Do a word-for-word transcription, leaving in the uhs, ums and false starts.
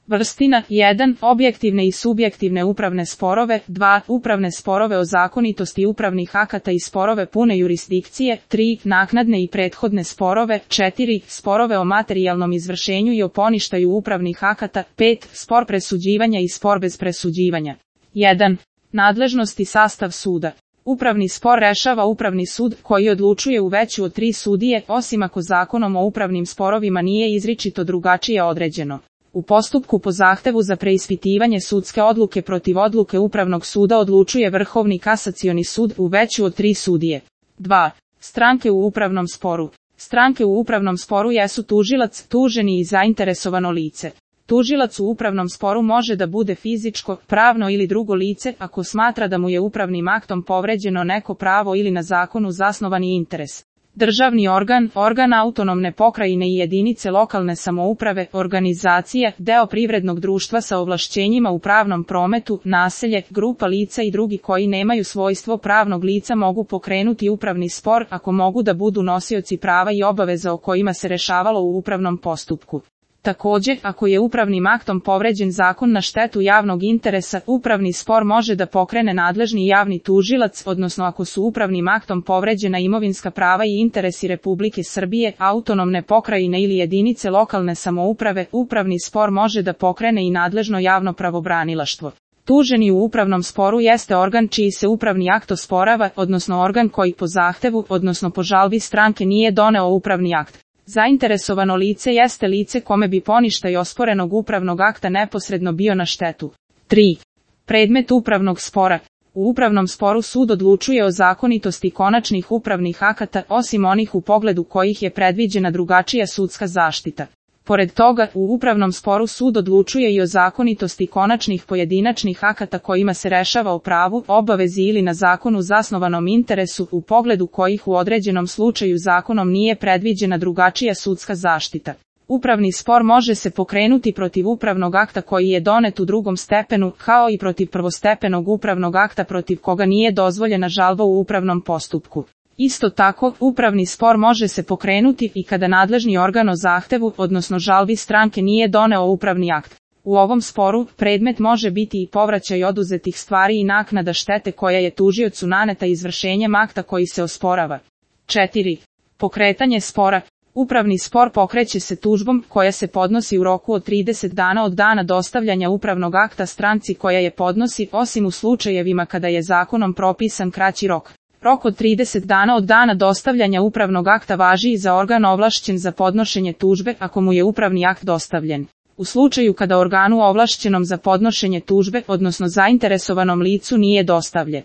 Vrstina jedan. Objektivne i subjektivne upravne sporove, dva. Upravne sporove o zakonitosti upravnih akata i sporove pune jurisdikcije, tri. Naknadne i prethodne sporove, četiri. Sporove o materijalnom izvršenju i o poništaju upravnih akata, pet. Spor presuđivanja i spor bez presuđivanja. jedan. Nadležnost i sastav suda. Upravni spor rešava upravni sud, koji odlučuje u veću od tri sudije, osim ako zakonom o upravnim sporovima nije izričito drugačije određeno. U postupku po zahtevu za preispitivanje sudske odluke protiv odluke Upravnog suda odlučuje Vrhovni kasacioni sud u veću od tri sudije. dva. Stranke u upravnom sporu. Stranke u upravnom sporu jesu tužilac, tuženi i zainteresovano lice. Tužilac u upravnom sporu može da bude fizičko, pravno ili drugo lice, ako smatra da mu je upravnim aktom povređeno neko pravo ili na zakonu zasnovani interes. Državni organ, organ autonomne pokrajine i jedinice lokalne samouprave, organizacija, deo privrednog društva sa ovlašćenjima u pravnom prometu, naselje, grupa lica i drugi koji nemaju svojstvo pravnog lica mogu pokrenuti upravni spor ako mogu da budu nosioci prava i obaveza o kojima se rešavalo u upravnom postupku. Takođe, ako je upravnim aktom povređen zakon na štetu javnog interesa, upravni spor može da pokrene nadležni javni tužilac, odnosno ako su upravnim aktom povređena imovinska prava i interesi Republike Srbije, autonomne pokrajine ili jedinice lokalne samouprave, upravni spor može da pokrene i nadležno javno pravobranilaštvo. Tuženi u upravnom sporu jeste organ čiji se upravni akt osporava, odnosno organ koji po zahtevu, odnosno po žalbi stranke nije doneo upravni akt. Zainteresovano lice jeste lice kome bi poništaj osporenog upravnog akta neposredno bio na štetu. tri. Predmet upravnog spora. U upravnom sporu sud odlučuje o zakonitosti konačnih upravnih akata, osim onih u pogledu kojih je predviđena drugačija sudska zaštita. Pored toga, u upravnom sporu sud odlučuje i o zakonitosti konačnih pojedinačnih akata kojima se rešava o pravu, obavezi ili na zakonu zasnovanom interesu, u pogledu kojih u određenom slučaju zakonom nije predviđena drugačija sudska zaštita. Upravni spor može se pokrenuti protiv upravnog akta koji je donet u drugom stepenu, kao i protiv prvostepenog upravnog akta protiv koga nije dozvoljena žalba u upravnom postupku. Isto tako, upravni spor može se pokrenuti i kada nadležni organ o zahtevu, odnosno žalbi stranke nije doneo upravni akt. U ovom sporu, predmet može biti i povraćaj oduzetih stvari i naknada štete koja je tužiocu naneta izvršenjem akta koji se osporava. četiri. Pokretanje spora. Upravni spor pokreće se tužbom koja se podnosi u roku od trideset dana od dana dostavljanja upravnog akta stranci koja je podnosi, osim u slučajevima kada je zakonom propisan kraći rok. Rok od trideset dana od dana dostavljanja upravnog akta važi i za organ ovlašćen za podnošenje tužbe ako mu je upravni akt dostavljen. U slučaju kada organu ovlašćenom za podnošenje tužbe, odnosno zainteresovanom licu nije dostavljen